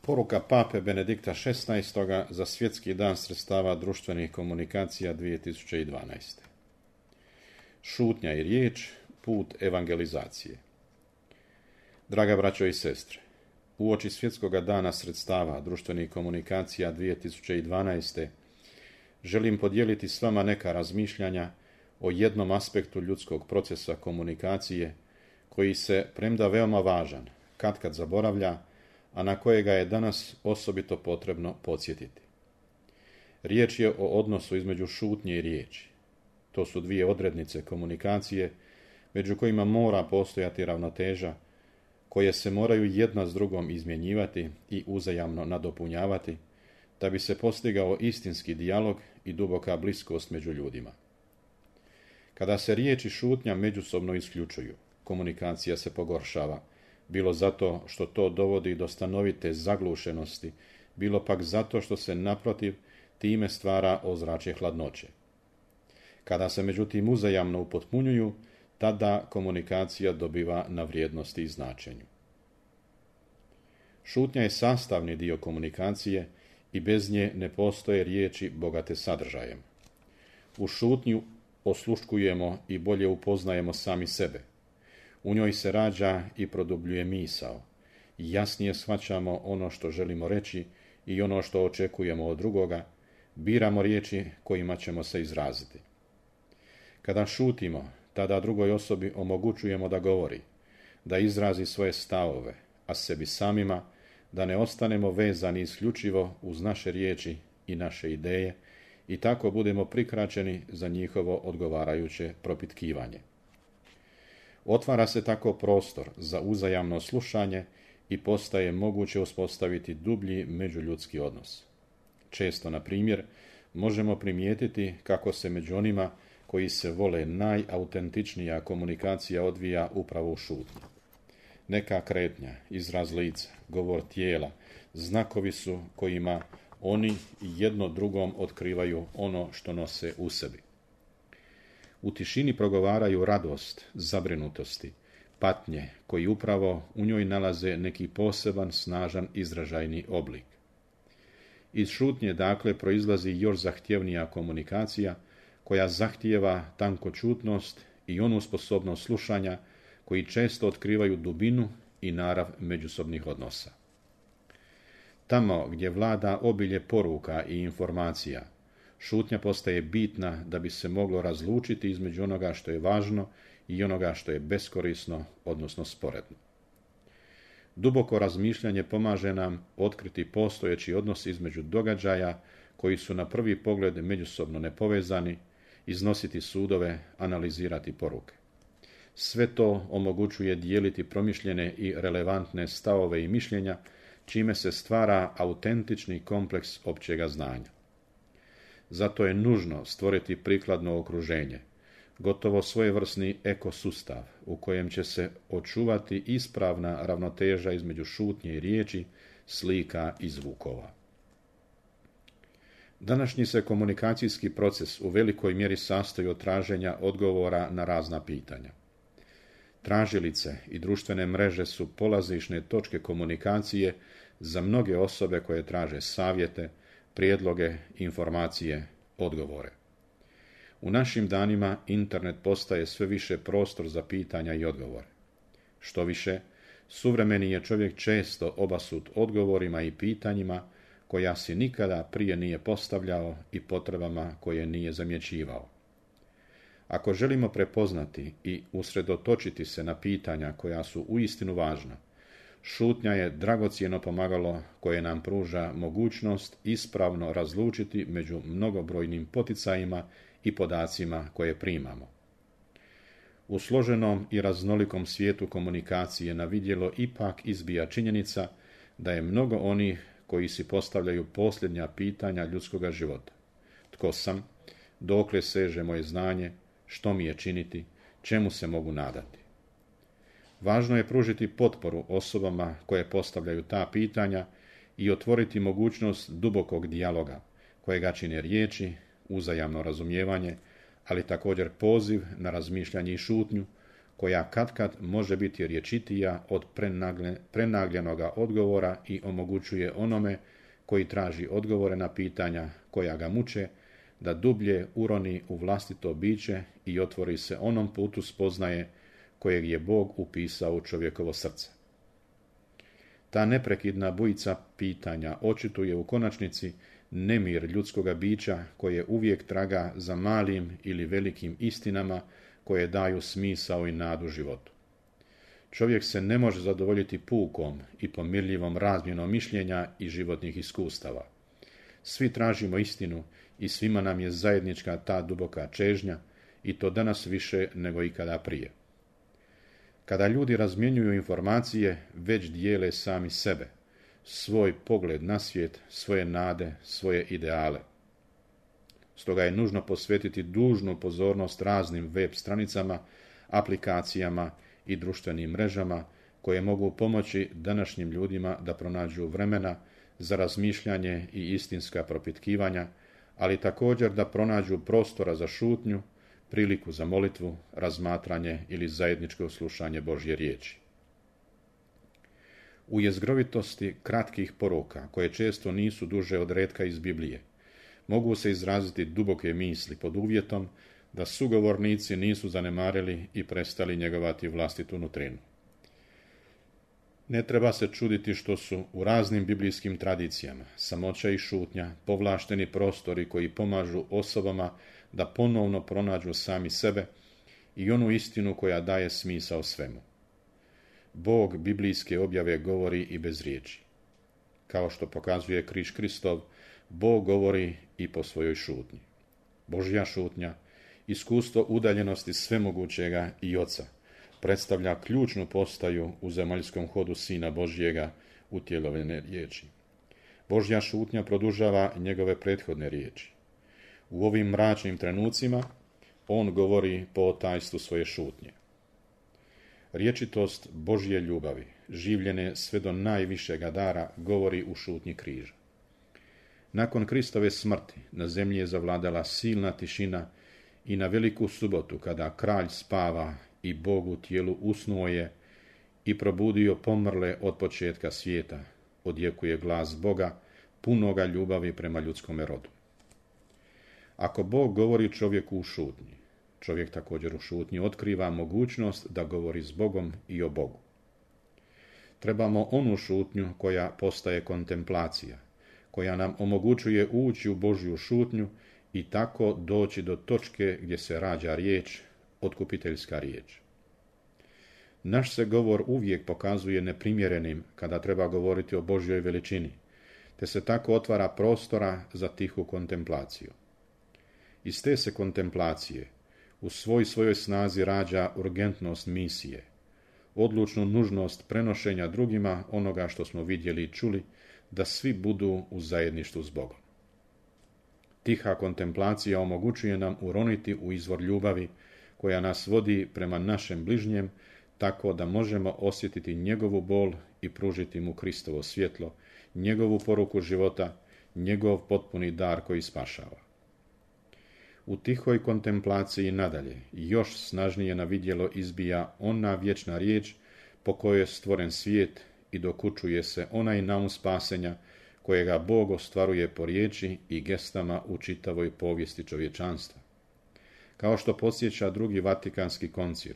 Poruka pape Benedikta XVI. Za svjetski dan sredstava društvenih komunikacija 2012. Šutnja i riječ, put evangelizacije. Draga braćo i sestre, uoči svjetskog dana sredstava društvenih komunikacija 2012. želim podijeliti s vama neka razmišljanja o jednom aspektu ljudskog procesa komunikacije koji se, premda veoma važan, katkad zaboravlja, a na kojega je danas osobito potrebno podsjetiti. Riječ je o odnosu između šutnje i riječi. To su dvije odrednice komunikacije, među kojima mora postojati ravnoteža, koje se moraju jedna s drugom izmjenjivati i uzajamno nadopunjavati, da bi se postigao istinski dijalog i duboka bliskost među ljudima. Kada se riječ i šutnja međusobno isključuju, komunikacija se pogoršava, bilo zato što to dovodi do stanovite zaglušenosti, bilo pak zato što se naprotiv time stvara ozračje hladnoće. Kada se međutim uzajamno upotpunjuju, tada komunikacija dobiva na vrijednosti i značenju. Šutnja je sastavni dio komunikacije i bez nje ne postoje riječi bogate sadržajem. U šutnju osluškujemo i bolje upoznajemo sami sebe. U njoj se rađa i produbljuje misao. Jasnije shvaćamo ono što želimo reći i ono što očekujemo od drugoga, biramo riječi kojima ćemo se izraziti. Kada šutimo, tada drugoj osobi omogućujemo da govori, da izrazi svoje stavove, a sebi samima da ne ostanemo vezani isključivo uz naše riječi i naše ideje i tako budemo prikraćeni za njihovo odgovarajuće propitkivanje. Otvara se tako prostor za uzajamno slušanje i postaje moguće uspostaviti dublji međuljudski odnos. Često, na primjer, možemo primijetiti kako se među onima koji se vole najautentičnija komunikacija odvija upravo u šutnji. Neka kretnja, izraz lica, govor tijela, znakovi su kojima oni jedno drugom otkrivaju ono što nose u sebi. U tišini progovaraju radost, zabrinutosti, patnje, koji upravo u njoj nalaze neki poseban, snažan izražajni oblik. Iz šutnje, dakle, proizlazi još zahtjevnija komunikacija, koja zahtijeva tankočutnost i onu sposobnost slušanja, koji često otkrivaju dubinu i narav međusobnih odnosa. Tamo gdje vlada obilje poruka i informacija, šutnja postaje bitna da bi se moglo razlučiti između onoga što je važno i onoga što je beskorisno, odnosno sporedno. Duboko razmišljanje pomaže nam otkriti postojeći odnos između događaja koji su na prvi pogled međusobno nepovezani, iznositi sudove, analizirati poruke. Sve to omogućuje dijeliti promišljene i relevantne stavove i mišljenja, čime se stvara autentični kompleks općega znanja. Zato je nužno stvoriti prikladno okruženje, gotovo svojevrsni ekosustav u kojem će se očuvati ispravna ravnoteža između šutnje i riječi, slika i zvukova. Današnji se komunikacijski proces u velikoj mjeri sastoji od traženja odgovora na razna pitanja. Tražilice i društvene mreže su polazišne točke komunikacije za mnoge osobe koje traže savjete, prijedloge, informacije, odgovore. U našim danima internet postaje sve više prostor za pitanja i odgovore. Što više, suvremeni je čovjek često obasut odgovorima i pitanjima koja si nikada prije nije postavljao i potrebama koje nije zamjećivao. Ako želimo prepoznati i usredotočiti se na pitanja koja su uistinu važna, šutnja je dragocjeno pomagalo koje nam pruža mogućnost ispravno razlučiti među mnogobrojnim poticajima i podacima koje primamo. U složenom i raznolikom svijetu komunikacije na vidjelo ipak izbija činjenica da je mnogo onih koji si postavljaju posljednja pitanja ljudskoga života. Tko sam? Dokle seže moje znanje? Što mi je činiti? Čemu se mogu nadati? Važno je pružiti potporu osobama koje postavljaju ta pitanja i otvoriti mogućnost dubokog dijaloga, kojega čine riječi, uzajamno razumijevanje, ali također poziv na razmišljanje i šutnju, koja katkad može biti rječitija od prenagljenoga odgovora i omogućuje onome koji traži odgovore na pitanja koja ga muče, da dublje uroni u vlastito biće i otvori se onom putu spoznaje kojeg je Bog upisao u čovjekovo srce. Ta neprekidna bujica pitanja očituje u konačnici nemir ljudskoga bića koje uvijek traga za malim ili velikim istinama koje daju smisao i nadu životu. Čovjek se ne može zadovoljiti pukom i pomirljivom razmjenom mišljenja i životnih iskustava. Svi tražimo istinu i svima nam je zajednička ta duboka čežnja i to danas više nego ikada prije. Kada ljudi razmjenjuju informacije, već dijele sami sebe, svoj pogled na svijet, svoje nade, svoje ideale. Stoga je nužno posvetiti dužnu pozornost raznim web stranicama, aplikacijama i društvenim mrežama koje mogu pomoći današnjim ljudima da pronađu vremena za razmišljanje i istinska propitkivanja, ali također da pronađu prostora za šutnju, priliku za molitvu, razmatranje ili zajedničko slušanje Božje riječi. U jezgrovitosti kratkih poruka, koje često nisu duže od retka iz Biblije, mogu se izraziti duboke misli pod uvjetom da sugovornici nisu zanemarili i prestali njegovati vlastitu nutrinu. Ne treba se čuditi što su u raznim biblijskim tradicijama samoća i šutnja povlašteni prostori koji pomažu osobama da ponovno pronađu sami sebe i onu istinu koja daje smisao svemu. Bog biblijske objave govori i bez riječi. Kao što pokazuje križ Kristov, Bog govori i po svojoj šutnji. Božja šutnja, iskustvo udaljenosti svemogućega i Oca, predstavlja ključnu postaju u zemaljskom hodu Sina Božjega utjelovljene riječi. Božja šutnja produžava njegove prethodne riječi. U ovim mračnim trenucima on govori po tajstvu svoje šutnje. Rječitost Božje ljubavi, življene sve do najvišega dara, govori u šutnji križa. Nakon Kristove smrti na zemlji je zavladala silna tišina i na veliku subotu, kada kralj spava i Bog u tijelu usnuo je i probudio pomrle od početka svijeta, odjekuje glas Boga, punoga ljubavi prema ljudskome rodu. Ako Bog govori čovjeku u šutnji, čovjek također u šutnji otkriva mogućnost da govori s Bogom i o Bogu. Trebamo onu šutnju koja postaje kontemplacija, koja nam omogućuje ući u Božju šutnju i tako doći do točke gdje se rađa riječ, otkupiteljska riječ. Naš se govor uvijek pokazuje neprimjerenim kada treba govoriti o Božjoj veličini, te se tako otvara prostora za tihu kontemplaciju. Iz te se kontemplacije u svojoj snazi rađa urgentnost misije, odlučnu nužnost prenošenja drugima onoga što smo vidjeli i čuli, da svi budu u zajedništvu s Bogom. Tiha kontemplacija omogućuje nam uroniti u izvor ljubavi koja nas vodi prema našem bližnjem, tako da možemo osjetiti njegovu bol i pružiti mu Kristovo svjetlo, njegovu poruku života, njegov potpuni dar koji spašava. U tihoj kontemplaciji nadalje još snažnije na vidjelo izbija ona vječna riječ po kojoj je stvoren svijet i dokučuje se onaj naum spasenja kojega Bog ostvaruje po riječi i gestama u čitavoj povijesti čovječanstva. Kao što podsjeća drugi Vatikanski koncil,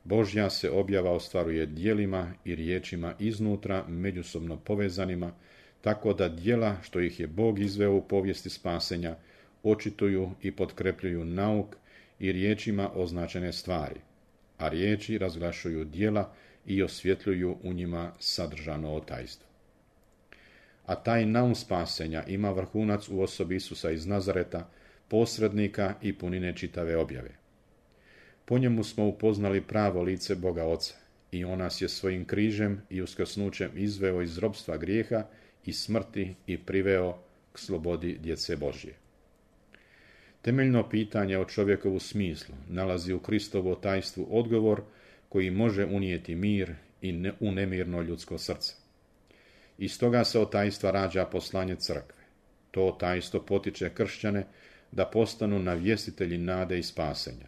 Božja se objava ostvaruje djelima i riječima iznutra međusobno povezanima, tako da djela što ih je Bog izveo u povijesti spasenja očituju i potkrepljuju nauk i riječima označene stvari, a riječi razglašuju djela i osvjetljuju u njima sadržano otajstvo. A taj naum spasenja ima vrhunac u osobi Isusa iz Nazareta, posrednika i punine čitave objave. Po njemu smo upoznali pravo lice Boga Oca i on nas je svojim križem i uskrsnućem izveo iz ropstva grijeha i smrti i priveo k slobodi djece Božje. Temeljno pitanje o čovjekovu smislu nalazi u Kristovu tajstvu odgovor koji može unijeti mir i u nemirno ljudsko srce. Iz toga se od tajstva rađa poslanje crkve. To tajstvo potiče kršćane da postanu navjestitelji nade i spasenja.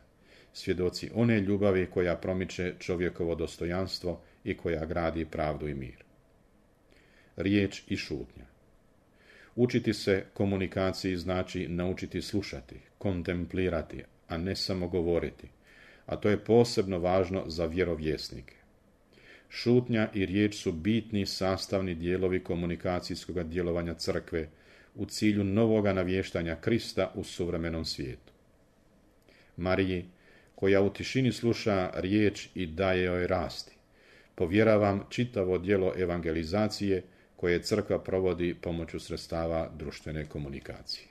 svjedoci one ljubavi koja promiče čovjekovo dostojanstvo i koja gradi pravdu i mir. Riječ i šutnja. Učiti se komunikaciji znači naučiti slušati, kontemplirati, a ne samo govoriti, a to je posebno važno za vjerovjesnike. Šutnja i riječ su bitni sastavni dijelovi komunikacijskog djelovanja crkve u cilju novoga navještanja Krista u suvremenom svijetu. Mariji, koja u tišini sluša riječ i daje joj rasti, povjeravam čitavo djelo evangelizacije koje crkva provodi pomoću sredstava društvene komunikacije.